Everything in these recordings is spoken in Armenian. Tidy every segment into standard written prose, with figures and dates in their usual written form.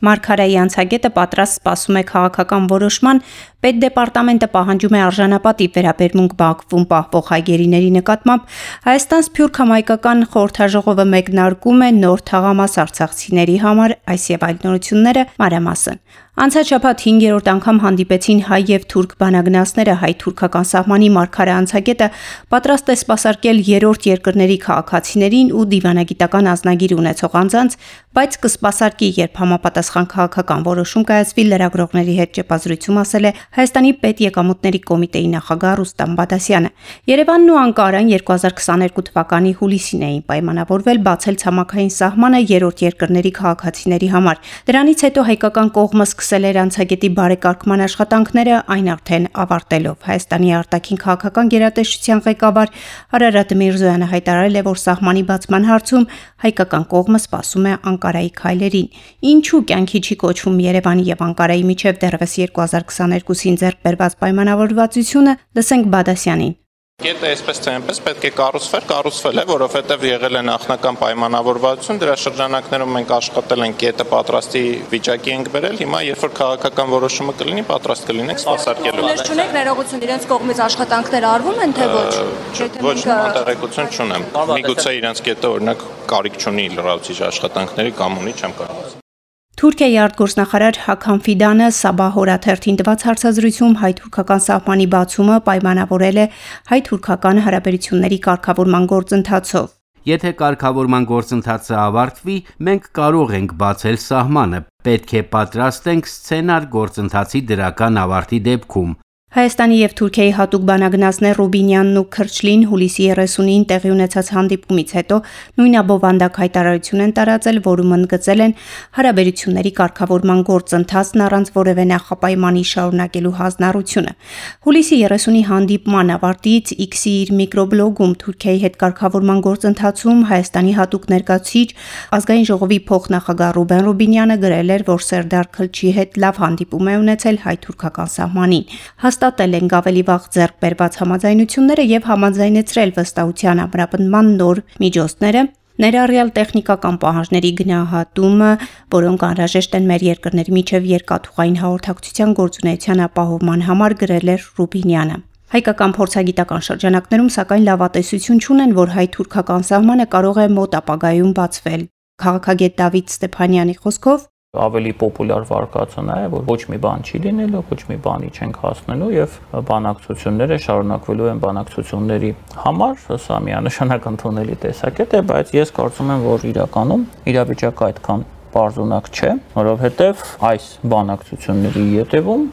Մարգարեի անցագետը պատրաստ սպասում է քաղաքական որոշման, Պետդեպարտամենտը պահանջում է արժանապատիվ վերաբերմունք Բաքվում պահվող հայգերիների նկատմամբ, Հայաստան-Սփյուռք համայնքական խորհրդաժողովը մեկնարկում է նոր թաղամաս արցախցիների համար, այս եւ այլ նորությունները մանրամասն։ Անցած շաբաթ 5-րդ անգամ հանդիպեցին հայ եւ թուրք բանագնացները, հայ-թուրքական սահմանի մարգարե անցագետը պատրաստ է սպասարկել երրորդ երկրների քաղաքացիներին ու դիվանագիտական անձնագիր ունեցող անձանց, բայց կսպասարկի, երբ համապատասխան քաղաքական որոշում կայացվի, լրագրողների հետ ճեպազրույցում ասել է Հայաստանի պետեկամուտների կոմիտեի նախագահ Ռուստամ Բադասյանը։ Երևանն ու Անկարան 2022 թվականի հուլիսին էին պայմանավորվել բացել ցամաքային սահմանը երրորդ երկրների քաղաքացիների համար։ Դրանից հետո հայկական կողմը սկսել էր անցագետի բարեկարգման աշխատանքները, այն արդեն ավարտելով։ Հայաստանի արտաքին քաղաքական գերատեսչության ղեկավար Արարատ Միրզոյանը հայտարարել է, որ սահմանի բացման հարցում հայկական կողմը սպասում է Անկարայի քայլերին։ Ինչու կյանքի չի կոչվում Երևանի եւ Անկարայի միջև դեռևս 2022-ին ձեռք բերված պայմանավորվածությունը, լսենք Բադասյանին։ Կետը այսպես թե այնպես պետք է կառուցվել է, որովհետև եղել է նախնական պայմանավորվածություն, դրա շրջանակներում մենք աշխատել ենք, կետը պատրաստի վիճակի ենք բերել, հիմա երբ որ քաղաքական որոշումը կլինի, պատրաստ կլինենք սպասարկելու։ Ես չունեք ներողություն, իրենց կողմից աշխատանքներ արվում են, թե ոչ։ Ոչ, տեղեկություն չունեմ։ Միգուցե իրենց կետը օրինակ կարիք չունի լրացուցիչ աշխատանքների կամ ունի, չեմ կարող։ Թուրքիայի արտգործնախարար Հաքամ Ֆիդանը Սաբահ օրաթերթին տված հարցազրույցում հայ-թուրքական սահմանի բացումը պայմանավորել է հայ-թուրքական հարաբերությունների կարգավորման գործընթացով։ Եթե կարգավորման գործընթացը ավարտվի, մենք կարող ենք բացել սահմանը, պետք է պատրաստենք սցենար գործընթացի դրական ավարտի դեպքում։ Հայաստանի եւ Թուրքիայի հատուկ բանագնացներ Ռուբինյանն ու Քրչլին հուլիսի 30-ին տեղի ունեցած հանդիպումից հետո նույն աբովանդակ հայտարարություն են տարածել, որում ընդգծել են հարաբերությունների կարգավորման գործընթացն առանց որևէ նախապայմանի շարունակելու հանձնառությունը։ Հուլիսի 30-ի հանդիպման ավարտից X-ի իր միկրոբլոգում Թուրքիայի հետ կարգավորման գործընթացում Հայաստանի հատուկ ներկայացուցիչ ազգային ժողովի փոխնախագահ Ռուբեն Ռուբինյանը գրել էր, որ Սերդար Քլչի հետ լավ հանդիպում է ունեցել հայ-թուրքական սահմանին։ Հաստատել ենք ավելի վաղ ձեռք բերված համաձայնությունները եւ համաձայնեցրել վստահության ամրապնդման նոր միջոցները, ներառյալ տեխնիկական պահանջների գնահատումը, որոնք անհրաժեշտ են մեր երկրների միջև երկաթուղային հաղորդակցության գործունեության ապահովման համար, գրել էր Ռուբինյանը։ Հայկական փորձագիտական շրջանակներում սակայն լավատեսություն չունեն, որ հայ-թուրքական սահմանը կարող է մոտ ապագայում բացվել։ Քաղաքագետ Դավիթ Ստեփանյանի խոսքով ավելի պոպուլյար վարկածն է, որ ոչ մի բան չի լինելու, ոչ մի բանի չենք հասնելու եւ բանակցությունները շարունակվելու են բանակցությունների համար, սա միանշանակ ընդունելի տեսակետ է, բայց ես կարծում եմ, որ իրականում իրավիճակը այդքան պարզունակ չէ, որովհետեւ այս բանակցությունների ետևում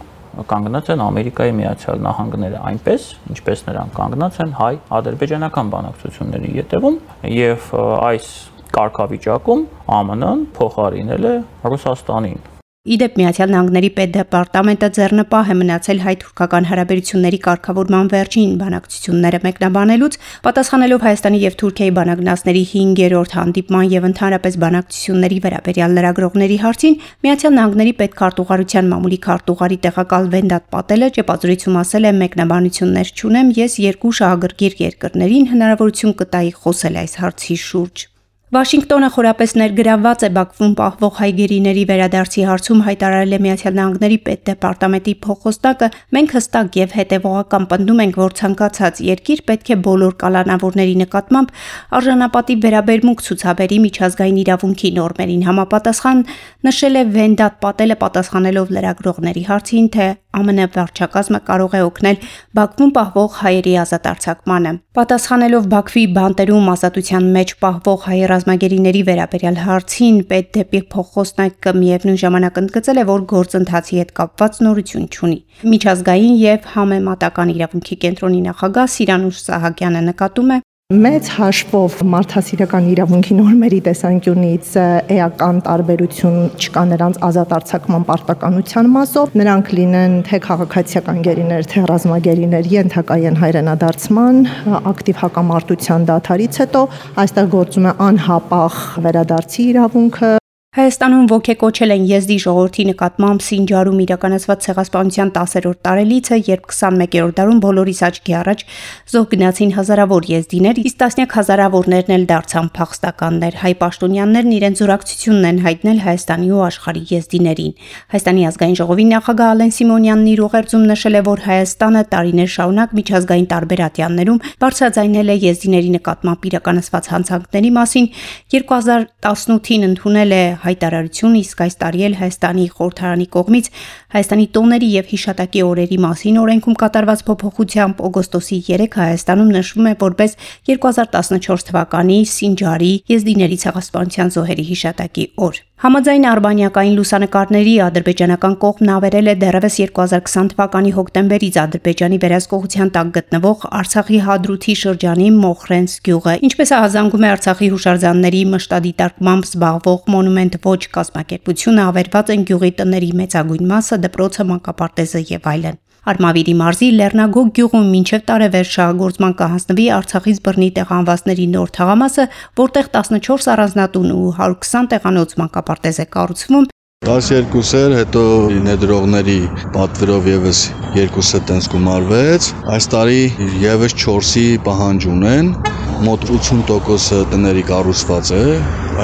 կանգնած են Ամերիկայի Միացյալ Նահանգները այնպես, ինչպես նրանք կանգնած են հայ-ադրբեջանական բանակցությունների ետևում եւ այս կարգավիճակում ԱՄՆ-ն փոխարինել է Ռուսաստանին։ Իդեպ Միացյալ Նահանգների Պետդեպարտամենտը ձեռնպահ է մնացել հայ-թուրքական հարաբերությունների կարգավորման վերջին բանակցությունները մեկնաբանելուց, պատասխանելով Հայաստանի եւ Թուրքիայի բանագնացների 5-րդ հանդիպման եւ ընդհանրապես բանակցությունների վերաբերյալ լրագրողների հարցին, Միացյալ Նահանգների պետքարտուղարության մամուլի քարտուղարի տեղակալ Վենդատ Պատելը ճեպազրույցում ասել է՝ մեկնաբանություններ չունեմ, ես երկու շահագրգիռ երկրներին հնարավորություն կտայի խոսել այս հարցի շուրջ։ Վաշինգտոնը խորապես ներգրավված է Բաքվում պահվող հայգերիների վերադարձի հարցում, հայտարարել է Միացյալ Նահանգների Պետդեպարտամենտի փոխոստակը։ Մենք հստակ եւ հետեւողական պնդում ենք, որ ցանկացած երկիր պետք է բոլոր կալանավորների նկատմամբ արժանապատիվ վերաբերմունք ցուցաբերի միջազգային իրավունքի նորմերին համապատասխան, նշել է Վենդատ Պատելը, պատասխանելով լրագրողների հարցին, թե ԱՄՆ վարչակազմը կարող է օգնել Բաքվում պահվող հայերի ազատ արձակմանը։ Պատասխանելով Բաքվի բանտերում ազատության մեջ պահվող հայ ռազմագերիների վերաբերյալ հարցին, Պետդեպի փոխոստակը միևնույն ժամանակ ընդգծել է, որ գործընթացի հետ կապված նորություն չունի։ Միջազգային եւ համեմատական իրավունքի կենտրոնի նախագահ Սիրանուշ Սահակյանը նկատում է. Մեծ հաշվով մարդասիրական իրավունքի նորմերի տեսանկյունից էական տարբերություն չկա նրանց ազատ արձակման պարտականության մասով, նրանք լինեն թե քաղաքացիական գերիներ, թե ռազմագերիներ, ենթակա են հայրենադարձման, ակտիվ հակամարտության դադարից հետո այստեղ գործում է անհապաղ վերադարձի իրավունքը։ Հայաստանում ոգեկոչել են եզդի ժողովրդի նկատմամբ Սինջարում իրականացված ցեղասպանության 10-րդ տարելիցը, երբ 21-րդ դարում բոլորիս աչքի առաջ զոհ գնացին հազարավոր եզդիներ, իսկ տասնյակ հազարավորներն էլ դարձան փախստականներ։ Հայ պաշտոնյաներն իրենց զորակցությունն են հայտնել Հայաստանի ու աշխարհի եզդիներին։ Հայաստանի ազգային ժողովի նախագահ Ալեն Սիմոնյանն իր ուղերձում նշել է, որ Հայաստանը տարիներ շարունակ միջազգային տարբեր ատյաններում բարձրաձայնել է եզդիների նկատմամբ իրականացված հանցանքների մասին, 2018-ին ընդունել է հայտարարություն, իսկ այս տարի էլ Հայաստանի խորհրդարանի կողմից Հայաստանի տոների եւ հիշատակի օրերի մասին օրենքում կատարված փոփոխությամբ օգոստոսի 3-ը Հայաստանում նշվում է որպես 2014 թվականի Սինջարի եզդիների ցեղասպանության զոհերի հիշատակի օր։ Համաձայն արբանյակային լուսանկարների ադրբեջանական կողմն ավերել է դեռևս 2020 թվականի հոկտեմբերից Ադրբեջանի վերահսկողության տակ գտնվող Արցախի Հադրութի շրջանի Մոխրենս գյուղը, ինչպես ահազանգում է Արցախի հուշարձանների մշտադիտարկմամբ զբաղվող Մոնումենտ ոչ կազմակերպությունը, ավերված են գյուղի տների մեծագույն մասը, դպրոցը, մանկապարտեզը եւ այլն։ Արմավիրի մարզի Լեռնագոգ գյուղում մինչև տարեվերջ շահագործման կհանձնվի Արցախից բռնի տեղահանվածների նոր թաղամասը, որտեղ 14 առանձնատուն ու 120 տեղանոց մանկապարտեզ է կառուցվում։ 12-եր, հետո ներդրողների պատվերով եւս 2-ը տենց գումարվեց։ Այս տարի եւս 4-ի պահանջ ունեն, մոտ 80% տների կառուցված է։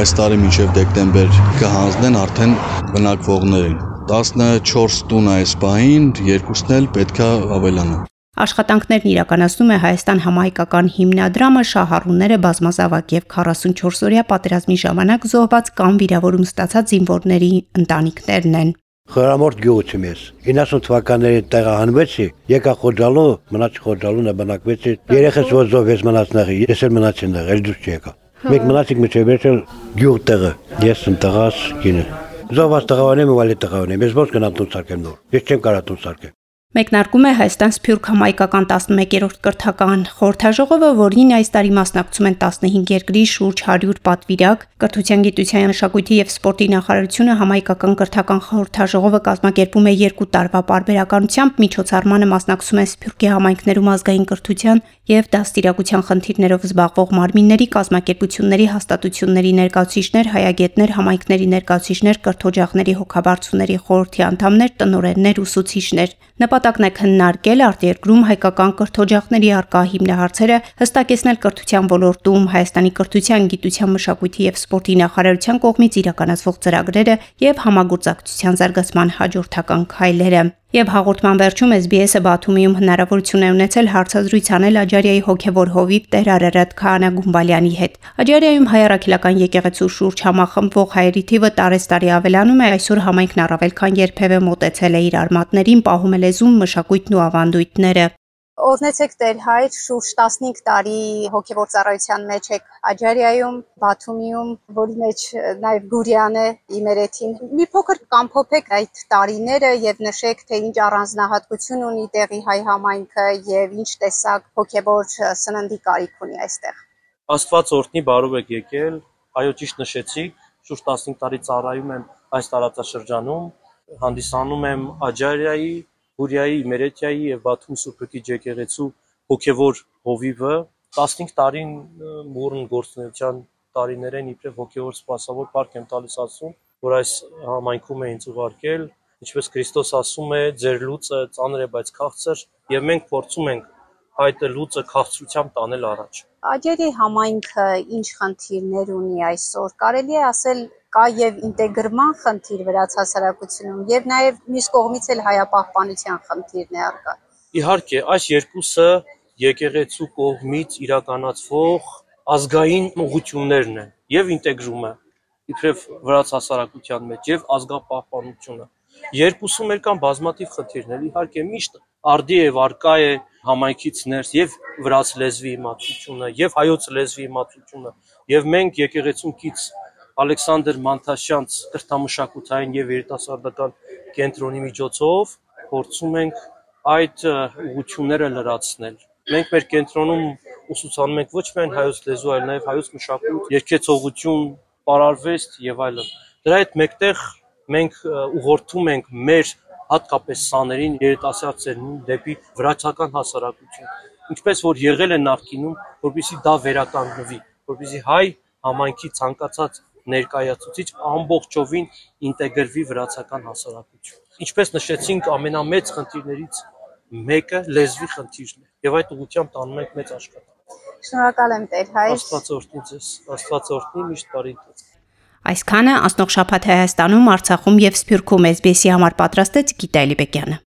Այս տարի մինչև դեկտեմբեր կհանձնեն արդեն բնակվողներին։ 14 տուն այս պահին, 2-ն էլ պետքա ավելանա։ Աշխատանքներն իրականացնում է Հայաստան համահայկական հիմնադրամը, շահառուները բազմազավակ եւ 44-օրյա պատերազմի ժամանակ զոհված կամ վիրավորում ստացած զինվորների ընտանիքներն են։ Խորամորդ գյուղում ես 90 թվականներին տեղահանվեցի, եկա Խոջալու, մնաց Խոջալու նաբնակվեցի, երեխես որ զոհվեց մնացնեղի, ես էլ մնացին դեղ, էլ դուրս չեկա։ Մենք մնացինք միջև վերջել գյուղ տեղը, ես ընտղաս կինը։ Զոհված տղաներն ու այլ տղաներն, ես ոչ գնամ տուն սարքեմ նոր, ես չեմ կարող տուն սարքել։ Մեկնարկում է Հայաստան Սփյուռք համայնքական 11-րդ կրթական խորհրդաժողովը, որին այս տարի մասնակցում են 15 երկրի շուրջ 100 պատվիրակ։ Կրթության, գիտության, մշակույթի եւ սպորտի նախարարությունը համայնքական կրթական խորհրդաժողովը կազմակերպում է 2 տարվա պարբերականությամբ, միջոցառմանը մասնակցում են Սփյուռքի համայնքներում ազգային կրթության եւ դաստիարակության խնդիրներով զբաղվող մարմինների, կազմակերպությունների, հաստատությունների ներկայացուցիչներ, հայագետներ, համայնքների ներկայացուցիչներ, կրթօջախների հոգաբարձուների խորհրդի անդամներ, տնօրեններ, ուսուցիչներ։ Նպատակն է քննարկել արտերկրում հայկական կրթօջախների առկա հիմնահարցերը, հստակեցնել կրթության ոլորտում Հայաստանի կրթության, գիտության, մշակույթի եւ սպորտի նախարարության կողմից իրականացվող ծրագրերը եւ համագործակցության զարգացման հաջորդական քայլերը։ Եվ հաղորդման վերջում SBS-ը Բաթումիում հնարավորություն է ունեցել հարցազրույց անել Աջարիայի հոգևոր հովիվ Տեր Արարատ Քահանա Գումբալյանի հետ։ Աջարիայում հայ առաքելական եկեղեցու շուրջ համախմբվող հայերի թիվը տարեստարի ավելանում է, այսօր համայնքն առավել քան երբևէ մոտեցել է իր արմատներին, պահում է լեզուն, մշակույթն ու ավանդույթները։ Օրհնեցեք Տեր Հայր, շուրջ 15 տարի հոգևոր ծառայության մեջ եք Աջարիայում, Բաթումիում, որի մեջ նաև Գուրյան է իմերեթին։ Մի փոքր կամփոփեք այդ տարիները եւ նշեք, թե ինչ առանձնահատկություն ունի տեղի հայ համայնքը եւ ինչ տեսակ հոգևոր սննդի կարիք ունի այստեղ։ Աստված օրհնի, բարով եք եկել, այո ճիշտ նշեցիք, շուրջ 15 տարի ծառայում եմ այս տարածաշրջանում, հանդիսանում եմ Աջարիայի, Գուրիայի, Իմերեթիայի եւ Բաթում Սուրբ եկեղեցու հոգևոր հովիվը 15 տարին մուրն գործունեության տարիներ են իբրև հոգևոր սպասավոր парք եմ տալիս ասում, որ այս համայնքում է ինձ ուղարկել, ինչպես Քրիստոս ասում է, ձեր լուծը ծանր է, բայց քաղցր, եւ մենք փորձում ենք այդ լուծը քաղցրությամբ տանել առաջ։ Աջարիայի համայնքը ինչ խնդիրներ ունի այսօր, կարելի է ասել կա եւ ինտեգրման խնդիր վրաց հասարակությունում եւ նաեւ մյուս կողմից էլ հայապահպանության խնդիրն է առկա։ Իհարկե, այս երկուսը եկեղեցու կողմից իրականացվող ազգային ուղղություններն են եւ ինտեգրումը իբրև վրաց հասարակության մեջ եւ ազգապահպանությունը։ Երկուսում էլ կան բազմաթիվ խնդիրներ, իհարկե միշտ արդի եւ արկա է համայնքից ներս եւ վրաց լեզվի իմացությունը եւ հայոց լեզվի իմացությունը եւ մենք եկեղեցում կից Ալեքսանդր Մանթաշյանց կրթամշակութային եւ երիտասարդական կենտրոնի միջոցով փորձում ենք այդ ուղղությունները լրացնել։ Մենք մեր կենտրոնում ուսուցանում ենք ոչ միայն հայոց լեզու, այլ նաեւ հայոց մշակույթ, երգեցողություն, պարարվեստ եւ այլն։ Դրա հետ մեկտեղ մենք ուղղորդում ենք մեր հատկապես սաներին երիտասարդներին դեպի վրացական հասարակություն, ինչպես որ եղել է նախկինում, որպեսզի դա վերականգնվի, որպեսզի հայ համայնքի ցանկացած ներկայացուցիչ ամբողջովին ինտեգրվի վրացական հասարակություն։ Ինչպես նշեցինք, ամենամեծ խնդիրներից մեկը լեզվի խնդիրն է, եւ այդ ուղղությամբ տանում ենք մեծ աշխատանք։ Շնորհակալ եմ Տեր Հայր։ Աստված օրհնի ձեզ, Աստված օրհնի միշտ բարի ընթացք։ Այսքանը անցնող շաբաթ Հայաստանում, Արցախում եւ Սփյուռքում SBS-ի համար պատրաստեց Գիտա Էլիբեկյանը։